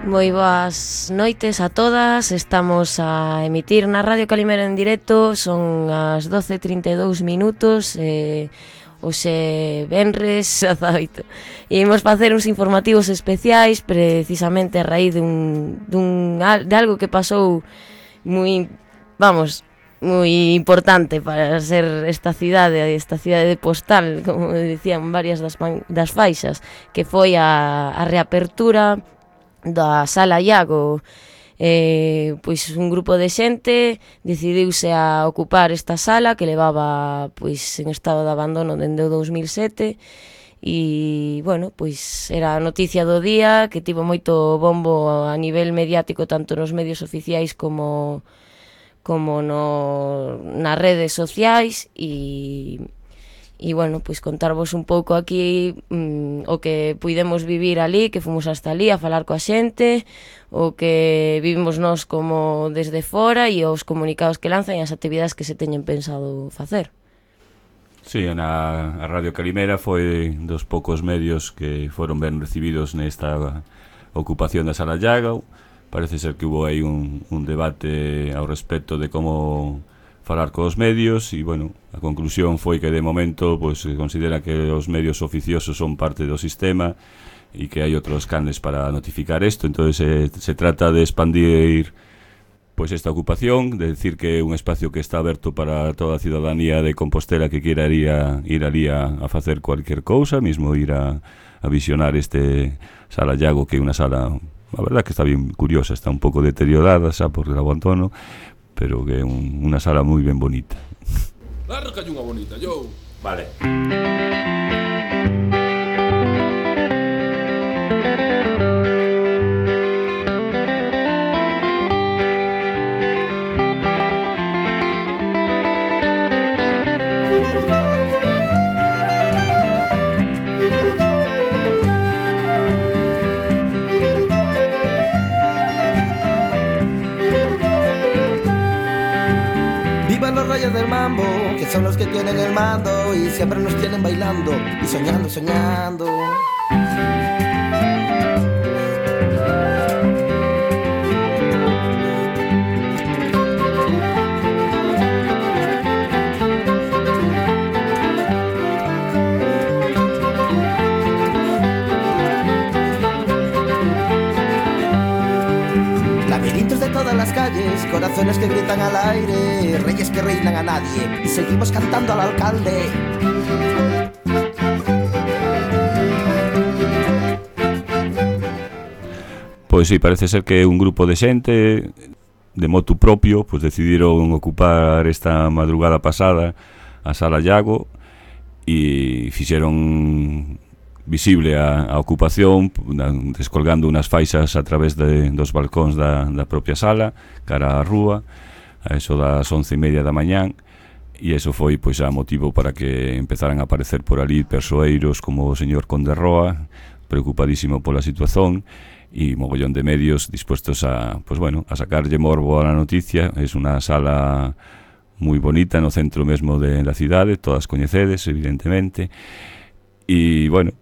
Moi boas noites a todas. Estamos a emitir na Radio Calimera en directo. Son as 12:32 minutos. Hoxe venres 18. E imos facer uns informativos especiais precisamente a raíz de algo que pasou moi importante para ser esta cidade de postal, como dicían varias das faixas, que foi a reapertura da Sala Iago. Pois un grupo de xente decidiuse a ocupar esta sala que levaba pois en estado de abandono dende o 2007 e, bueno, pois era a noticia do día que tivo moito bombo a nivel mediático tanto nos medios oficiais como nas redes sociais e bueno, pois contarvos un pouco aquí o que puidemos vivir ali, que fomos hasta ali a falar coa xente, o que vivimos nós como desde fora e os comunicados que lanzan e as actividades que se teñen pensado facer. Sí, a Radio Calimera foi dos poucos medios que foron ben recibidos nesta ocupación da Sala Iago. Parece ser que hubo aí un debate ao respecto de como falar cos medios e, bueno, a conclusión foi que de momento pois se considera que os medios oficiosos son parte do sistema e que hai outros canles para notificar isto. Entón se trata de expandir pois esta ocupación, de decir que é un espacio que está aberto para toda a ciudadanía de Compostela que queira ir ali a facer cualquier cousa, mesmo ir a visionar este Sala Iago, que é unha sala, a verdad que está bien curiosa, está un pouco deteriorada xa por el abandono, pero que é unha sala moi ben bonita. Claro que hai unha bonita, yo. Vale. Vivan los reyes del mambo, que son los que tienen el mando y siempre nos tienen bailando y soñando, soñando. Laberintos de todas las calles, corazones que gritan al aire, reyes que reinan a nadie y seguimos cantando al alcalde. Pois sí, parece ser que un grupo de xente de motu propio pois decidiron ocupar esta madrugada pasada a Sala Iago e fixeron visible a ocupación descolgando unas faixas a través dos balcóns da propia sala cara á rúa a eso das 11:30 da mañán e eso foi pois a motivo para que empezaran a aparecer por ali persoeiros como o señor Conde Roa preocupadísimo pola situación e mogollón de medios dispuestos a sacarlle morbo a la noticia. Es unha sala moi bonita no centro mesmo de la cidade, todas coñecedes evidentemente e bueno,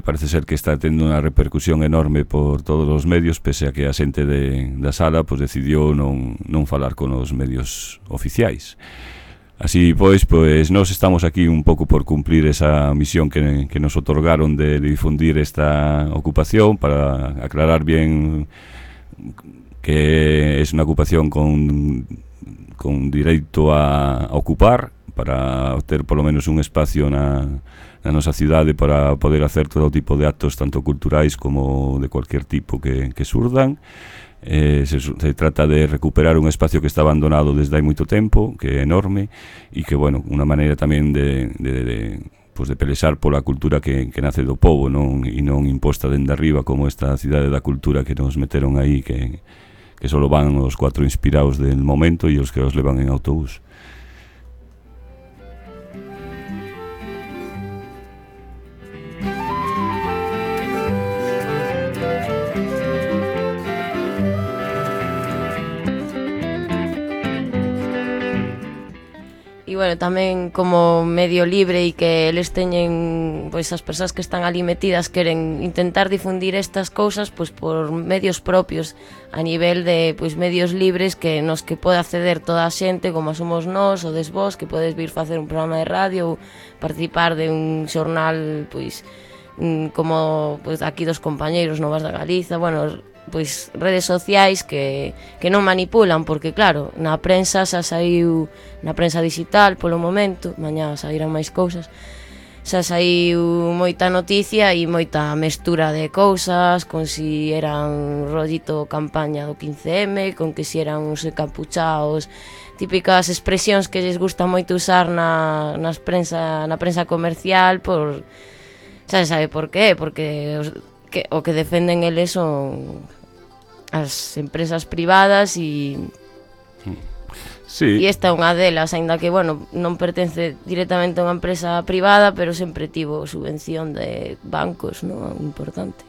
parece ser que está tendo unha repercusión enorme por todos os medios, pese a que a xente da sala pues, decidiu non falar con os medios oficiais. Así pois, nós estamos aquí un pouco por cumplir esa misión que nos otorgaron de difundir esta ocupación, para aclarar bien que es unha ocupación con dereito a ocupar, para ter polo menos un espacio na nosa cidade para poder hacer todo tipo de actos tanto culturais como de cualquier tipo que surdan. Se trata de recuperar un espacio que está abandonado desde hai moito tempo, que é enorme e que, bueno, unha maneira tamén de pelexar pola cultura que nace do povo, non e non imposta dende arriba como esta cidade da cultura que nos meteron aí, que só van os 4 inspirados del momento e os que os levan en autobús. bueno, tamén como medio libre e que eles teñen, pois as persoas que están ali metidas queren intentar difundir estas cousas pois por medios propios, a nivel de pois medios libres que nos que pode acceder toda a xente, como somos nós ou des vos, que podes vir facer un programa de radio ou participar de un xornal pois como pois aquí dos compañeiros Novas da Galiza, bueno, pois redes sociais que non manipulan, porque claro, na prensa xa saiu, na prensa digital polo momento, mañá sairán máis cousas, xa saiu moita noticia e moita mestura de cousas, con si eran rollito campaña do 15M, con que si eran uns encapuchaos, típicas expresións que lles gusta moito usar na prensa comercial, por xa se sabe por qué, porque o que defenden eles son as empresas privadas e sí. Esta é unha delas, aínda que, bueno, non pertence directamente a unha empresa privada, pero sempre tivo subvención de bancos, non? Importante.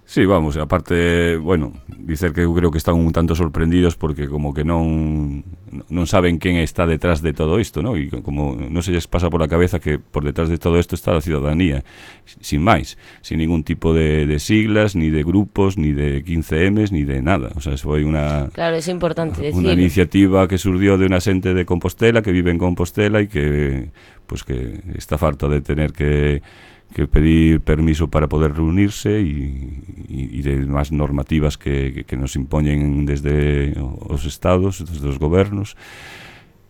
Sí, vamos, aparte, bueno, dicer que eu creo que están un tanto sorprendidos porque como que non saben quen está detrás de todo isto, ¿no? E como non se lles pasa por a cabeza que por detrás de todo isto está a ciudadanía, sin máis, sin ningún tipo de siglas, ni de grupos, ni de 15Ms, ni de nada. O sea, foi unha... Claro, é importante decir. Unha iniciativa que surdió de unha xente de Compostela, que vive en Compostela e que, pues, que está farta de tener que pedir permiso para poder reunirse e demás normativas que nos impoñen desde os estados, desde os gobernos.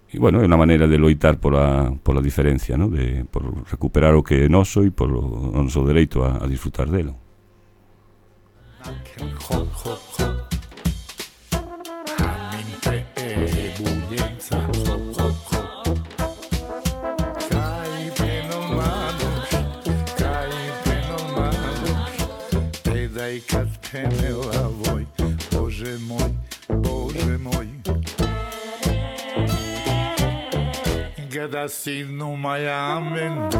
E, bueno, é unha maneira de loitar pola diferencia, ¿no? Por recuperar o que é noso e por o noso dereito a disfrutar delo. Kad penela voj, Bože moj Gada sinu mayamen.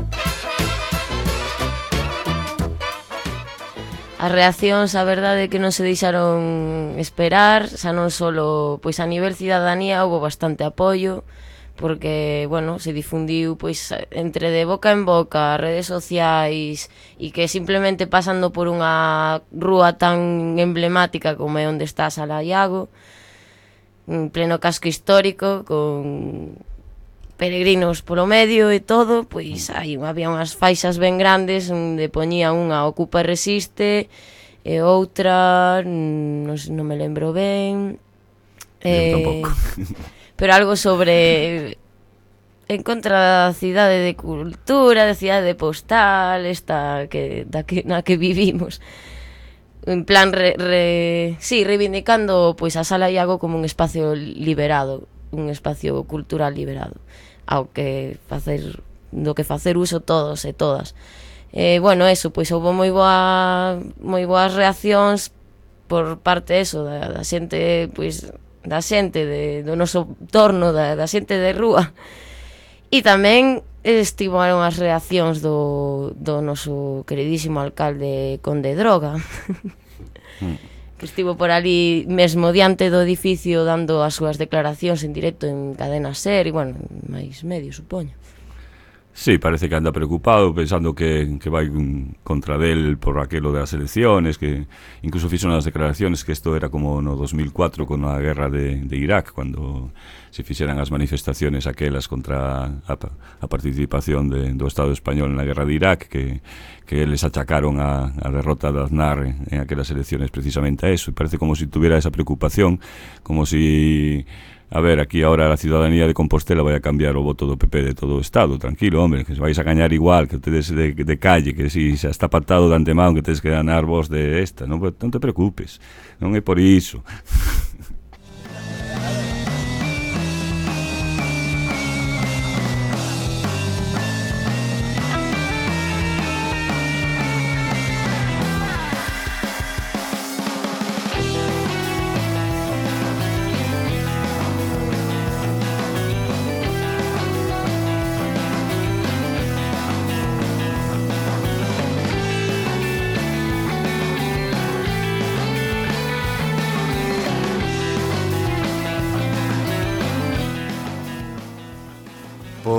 As reaccións, a verdade é que non se deixaron esperar, xa non solo pois a nivel cidadanía houve bastante apoio, porque, bueno, se difundiu pois entre de boca en boca, redes sociais, e que simplemente pasando por unha rúa tan emblemática como é onde está a Sala Iago, en pleno casco histórico, con peregrinos polo medio e todo, pois había unhas faixas ben grandes onde poñía unha Ocupa e Resiste e outra, non me lembro ben, tampouco. Pero algo sobre en contra da cidade de cultura, da cidade postal, esta na que vivimos. En plan reivindicando pois a Sala Iago como un espacio liberado, un espacio cultural liberado, ao que facer uso todos e todas. Bueno, eso, pois houve moi boas reaccións por parte eso da xente, pois da xente do noso torno, da xente de rúa. E tamén estimaron as reaccións do noso queridísimo alcalde Conde Droga, que estivo por ali mesmo diante do edificio dando as súas declaracións en directo en Cadena Ser e, bueno, máis medios, supoño. Sí, parece que anda preocupado, pensando que vai contra del por aquelo das elecciones, que incluso fixo unhas declaraciones que isto era como no 2004 con a guerra de Irak, cuando se fixeran as manifestaciones aquelas contra a participación do Estado español na guerra de Irak, que eles achacaron a derrota de Aznar en aquelas elecciones precisamente a eso, e parece como si tuviera esa preocupación, como si... A ver, aquí ahora a ciudadanía de Compostela vai a cambiar o voto do PP de todo o Estado. Tranquilo, hombre, que se vais a gañar igual que ustedes de calle, que si xa está pactado de antemán que tedes que ganar vos de esta. Non te preocupes, non é por iso.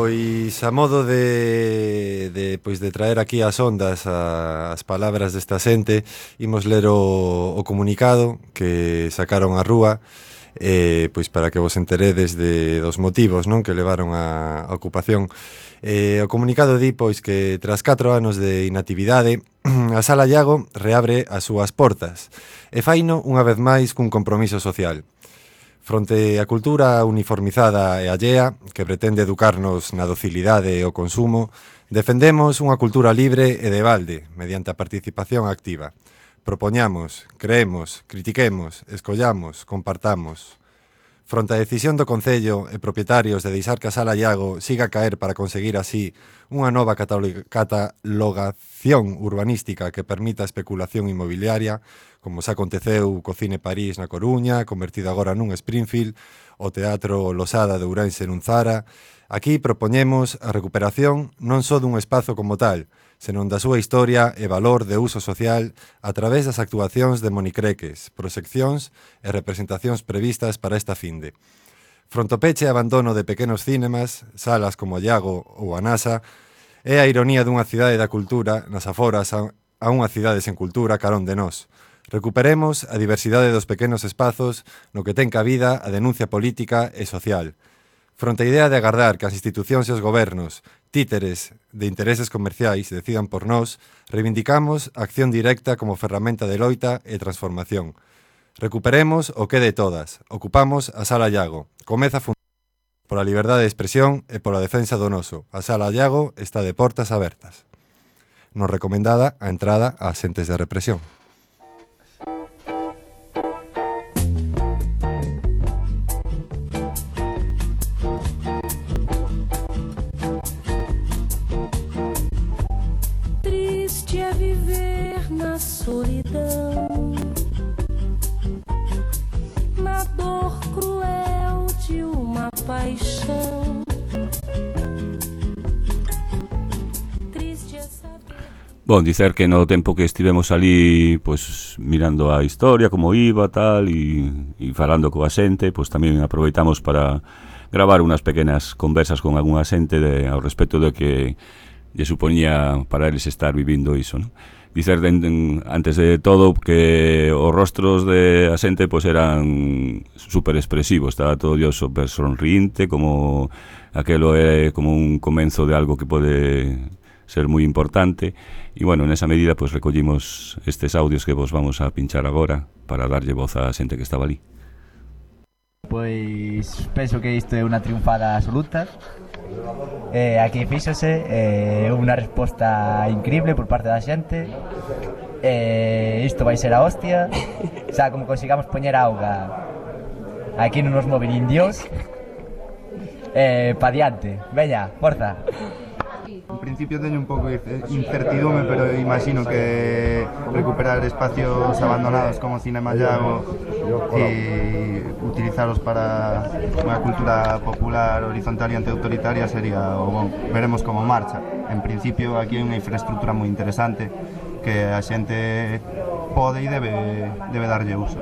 Pois a modo de traer aquí as ondas as palabras desta xente, imos ler o comunicado que sacaron á rúa, pois para que vos enteredes dos motivos, non, que levaron a ocupación. O comunicado di pois que tras 4 anos de inactividade a Sala Iago reabre as súas portas e faino unha vez máis cun compromiso social. Fronte á cultura uniformizada e allea, que pretende educarnos na docilidade e o consumo, defendemos unha cultura libre e de balde, mediante a participación activa. Propoñamos, creemos, critiquemos, escollamos, compartamos. Fronte á decisión do Concello e propietarios de deixar que a Sala Iago siga a caer para conseguir así unha nova catalogación urbanística que permita a especulación inmobiliaria, como xa aconteceu co Cine París na Coruña, convertido agora nun Springfield, o Teatro Losada de Ourense nun Zara. Aquí propoñemos a recuperación non só dun espazo como tal, senón da súa historia e valor de uso social a través das actuacións de monicreques, proxeccións e representacións previstas para esta finde. Fronte ao peche e abandono de pequenos cinemas, salas como a Iago ou a NASA, é a ironía dunha cidade da cultura nas aforas a unha cidade sen cultura carón de nós. Recuperemos a diversidade dos pequenos espazos no que ten cabida a denuncia política e social. Fronte a idea de agardar que as institucións e os gobernos, títeres de intereses comerciais, decidan por nós, reivindicamos a acción directa como ferramenta de loita e transformación. Recuperemos o que de todas. Ocupamos a Sala Iago. Comeza a fundar pola liberdade de expresión e pola defensa do noso. A Sala Iago está de portas abertas. Nos recomendada a entrada ás xentes de represión. Solidão, na dor cruel de uma paixão. Triste é saber. Bon, dicer que no tempo que estivemos ali, pues, mirando a historia, como iba, tal, e falando coa xente, pues tamén aproveitamos para gravar unhas pequenas conversas con algunha xente ao respecto do que lle supoñía para eles estar vivindo iso, non? Dicer antes de todo que os rostros de a xente pues eran super expresivos, estaba todo Dios super sonriente, como aquelo é como un comenzo de algo que pode ser moi importante, e bueno, nesa medida pues recollimos estes audios que vos vamos a pinchar agora para darlle voz á xente que estaba ali. Pois penso que isto é unha triunfada absoluta. Aquí fíxose unha resposta increíble por parte da xente. Isto vai ser a hostia. Xa, como consigamos poñer auga aquí non nos moven indios. Pa diante, veña, forza. En principio teño un pouco de incertidume, pero imagino que recuperar espacios abandonados como Cinema Iago e utilizalos para unha cultura popular horizontal e antiautoritaria sería o bon. Veremos como marcha. En principio aquí hai unha infraestructura moi interesante que a xente pode e debe darlle uso.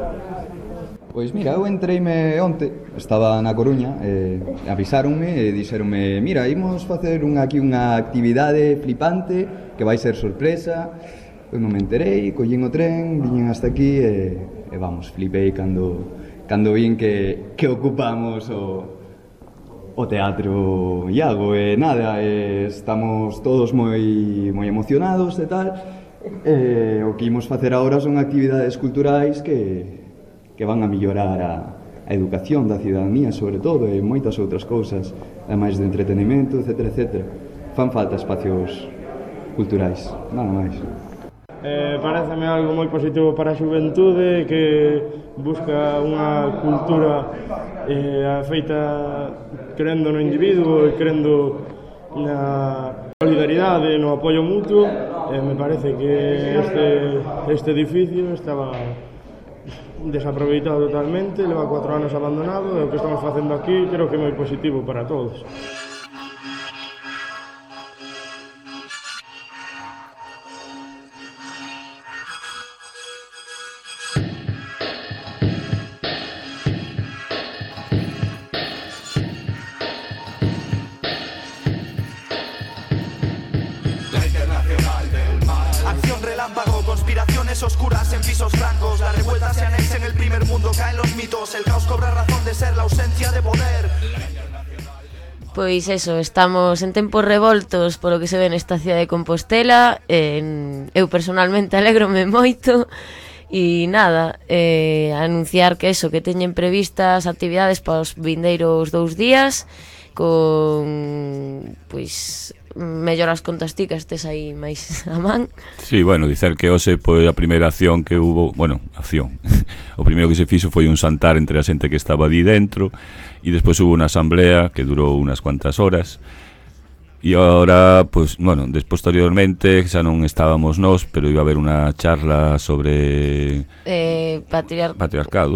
Pois mira, eu entreime onte, estaba na Coruña, avisáronme e dixeronme: mira, imos facer aquí unha actividade flipante que vai ser sorpresa. Eu non me enterei, collín o tren, viñen hasta aquí e vamos, flipei cando vin que ocupamos o Teatro Iago e nada, estamos todos moi emocionados e tal. O que imos facer agora son actividades culturais que van a mellorar a educación da cidadanía, sobre todo, e moitas outras cousas, ademais de entretenimento, etc, etc. Fan falta espacios culturais, nada máis. Pareceme algo moi positivo para a xuventude que busca unha cultura feita crendo no individuo e crendo na solidaridade, no apoio mutuo. Me parece que este edificio estaba desaproveitado totalmente, leva 4 anos abandonado, e o que estamos facendo aquí creo que é moi positivo para todos. Pois eso, estamos en tempos revoltos polo que se ve nesta cidade de Compostela. Eu personalmente alégrome moito. E nada, anunciar que eso, que teñen previstas actividades para os vindeiros 2 días, con, pois, melloras contasticas tes aí máis a man. Sí, bueno, dicer que hoxe foi a primeira acción que hubo, bueno, acción. O primeiro que se fixo foi un xantar entre a xente que estaba ali dentro, e despois hubo unha asamblea que durou unas cuantas horas. E agora, pues, bueno, posteriormente xa non estábamos nós, pero iba a haber unha charla sobre patriarcado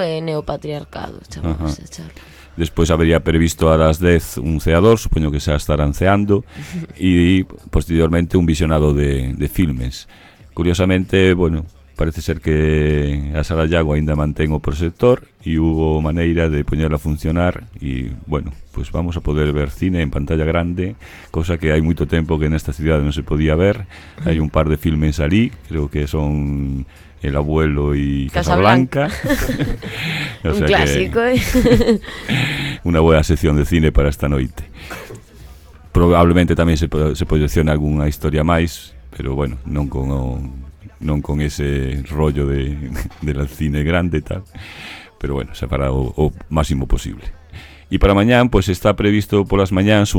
e neopatriarcado, chamamos a charla. Despois habería previsto a las 10 un ceador, supoño que xa estarán ceando, e posteriormente un visionado de filmes. Curiosamente, bueno, parece ser que a Sala Iago aínda mantén o proxector e hubo maneira de poñerla a funcionar e, bueno, pues vamos a poder ver cine en pantalla grande, cosa que hai moito tempo que nesta cidade non se podía ver. Hai un par de filmes ali, creo que son El abuelo y Casablanca. O sea, un clásico, Unha boa sección de cine para esta noite. Probablemente tamén se proyecciona algunha historia máis, pero bueno, non con ese rollo de la cine grande e tal, pero bueno, se fará o máximo posible. E para mañán, pues está previsto polas mañáns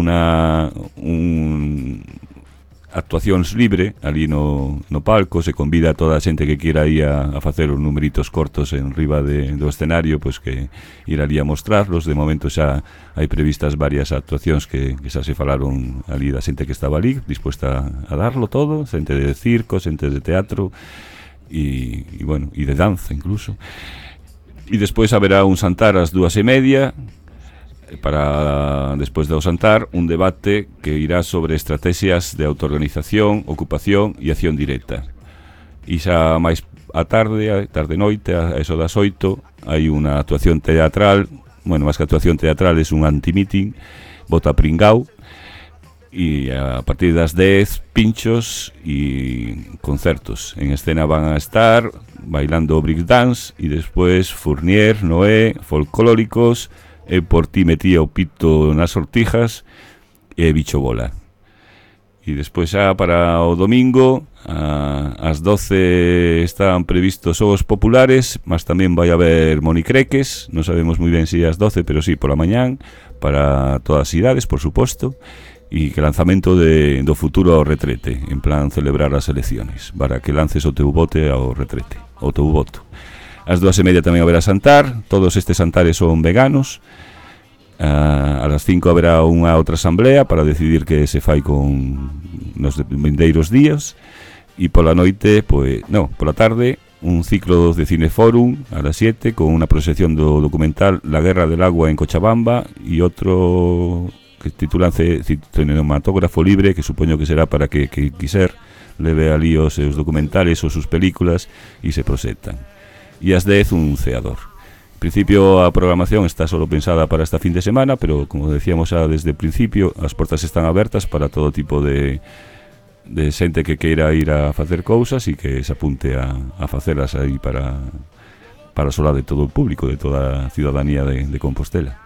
actuacións libre ali no palco. Se convida a toda a xente que queira ir a facer os numeritos cortos en riba do escenario, pues que ir ali a mostrarlos. De momento xa hai previstas varias actuacións que xa se falaron ali da xente que estaba ali, dispuesta a darlo todo, xente de circo, xente de teatro e bueno, e de danza incluso. E despois haberá un xantar ás 2:30, para despois do xantar un debate que irá sobre estrategias de autoorganización, ocupación e acción directa. E xa máis a tarde noite, a eso das 8, hai unha actuación teatral, bueno, máis que actuación teatral, é un anti-meeting, Bota Pringao, e a partir das 10 pinchos e concertos. En escena van a estar bailando breakdance e despois Fournier, Noé, Folclóricos, e Por ti metía o pito nas sortijas e Bicho Bola. E despois xa para o domingo ás 12 están previstos xogos populares, mas tamén vai haber monicreques, non sabemos moi ben se ás 12, pero sí, pola mañán, para todas as idades, por suposto, e que lanzamento do futuro ao retrete, en plan celebrar as elecciones, para que lances o teu bote ao retrete, o teu voto. Ás 2:30 tamén haberá xantar, todos estes xantares son veganos. A las 5 haberá unha outra asamblea para decidir que se fai con nos vindeiros días. E pola noite, pola tarde, un ciclo de cineforum a las 7 con unha proxección do documental La guerra del agua en Cochabamba e outro que titulan Cinematógrafo libre, que supoño que será para que quiser leve ali os seus documentales ou sus películas e se proxectan. E ás 10 un ceador. En principio a programación está solo pensada para esta fin de semana, pero como decíamos xa desde o principio, as portas están abertas para todo tipo de xente que queira ir a facer cousas e que se apunte a facelas aí para o solar de todo o público, de toda a ciudadanía de Compostela.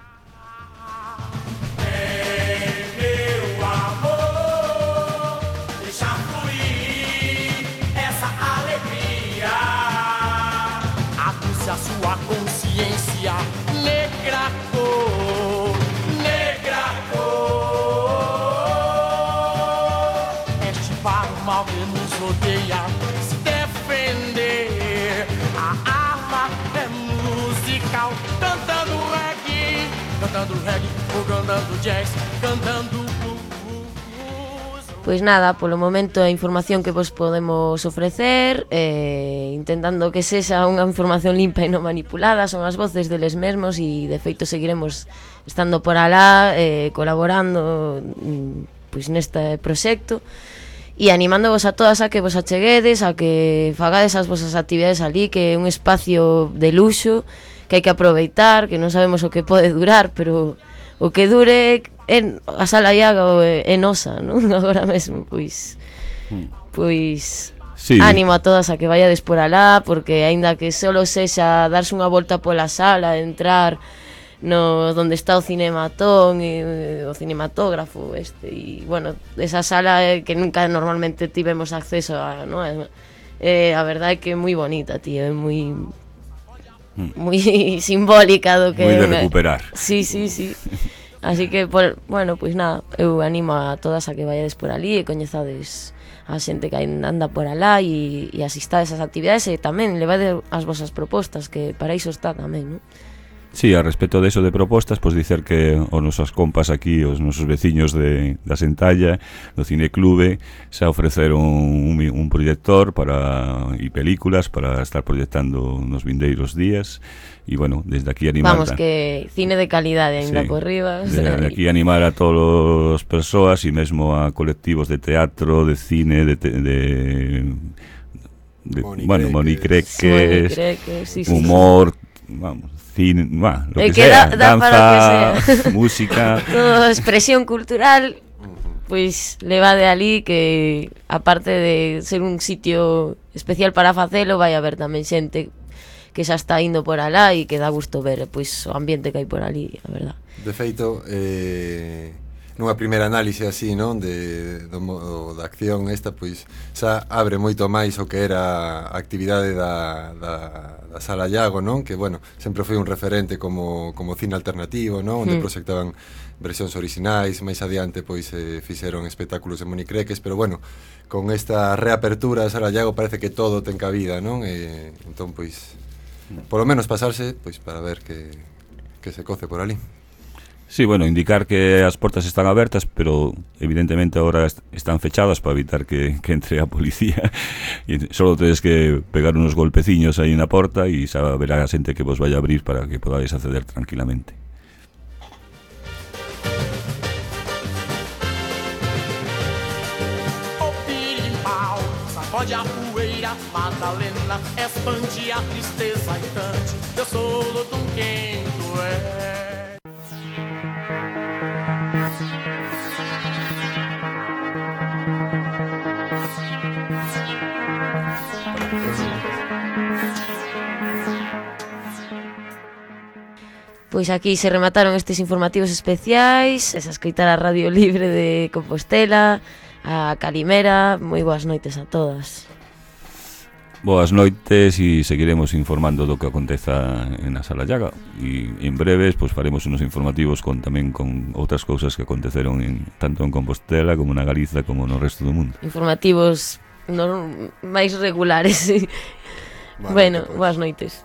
Pois nada, polo momento a información que vos podemos ofrecer, intentando que sexa unha información limpa e non manipulada, son as voces deles mesmos e de feito seguiremos estando por alá, colaborando pois neste proxecto e animándovos a todas a que vos acheguedes, a que fagades as vosas actividades ali, que é un espacio de luxo que hai que aproveitar, que non sabemos o que pode durar, pero o que dure a Sala Iago é nosa, non? Agora mesmo, pois sí. Ánimo a todas a que vayades por alá, porque aínda que solo sexa darse unha volta pola sala, entrar, donde está o Cinematón e o cinematógrafo e bueno, esa sala que nunca normalmente tivemos acceso a, ¿no? A verdade é que é moi bonita, tío, é moi simbólica do que moi de recuperar. Sí. Así que, bueno, pois nada, eu animo a todas a que vayades por ali e coñezades a xente que anda por alá e asistades ás actividades e tamén levade as vosas propostas, que para iso está tamén, non? Sí, a respecto de eso de propostas, pois dicer que os nosos compas aquí, os nosos veciños da Sentalla, do Cineclube, xa ofreceron un proyector e películas para estar proyectando nos vindeiros días. E, bueno, desde aquí animar... Vamos, que cine de calidade ainda por riba. Desde aquí animar a todas as persoas e mesmo a colectivos de teatro, de cine, Monicreques, humor, vamos, cine, lo que sea, danza, música, toda expresión cultural, pois levade ali, que aparte de ser un sitio especial para facelo, vai haber tamén xente que xa está indo por alá e que dá gusto ver pois o ambiente que hai por ali, a verdad. De feito, nunha primeira análise así, non, da acción esta, pois xa abre moito máis o que era a actividade da Sala Iago, non? Que, bueno, sempre foi un referente como cine alternativo, non? Onde proxectaban versións orixinais, máis adiante pois fixeron espectáculos en Monicreques, pero bueno, con esta reapertura da Sala Iago parece que todo ten cabida, non? Entón, pois, polo menos pasarse, pois, para ver que se coce por ali. Sí, bueno, indicar que as portas están abertas, pero evidentemente ahora están fechadas para evitar que entre a policía. E solo tedes que pegar unos golpeciños aí na porta e xa verá a xente que vos vai a abrir para que podáis acceder tranquilamente. Sacode a poeira, Madalena, expande a tristeza e cante. Eu sou Lodum quem tu és. Pois aquí se remataron estes informativos especiais, esa escoitar a Radio Libre de Compostela, a Calimera. Moi boas noites a todas. Boas noites e seguiremos informando do que aconteza na Sala Iago e en breves pois faremos unos informativos tamén con outras cousas que aconteceron tanto en Compostela como na Galiza como no resto do mundo. Informativos máis regulares. Bueno, boas noites.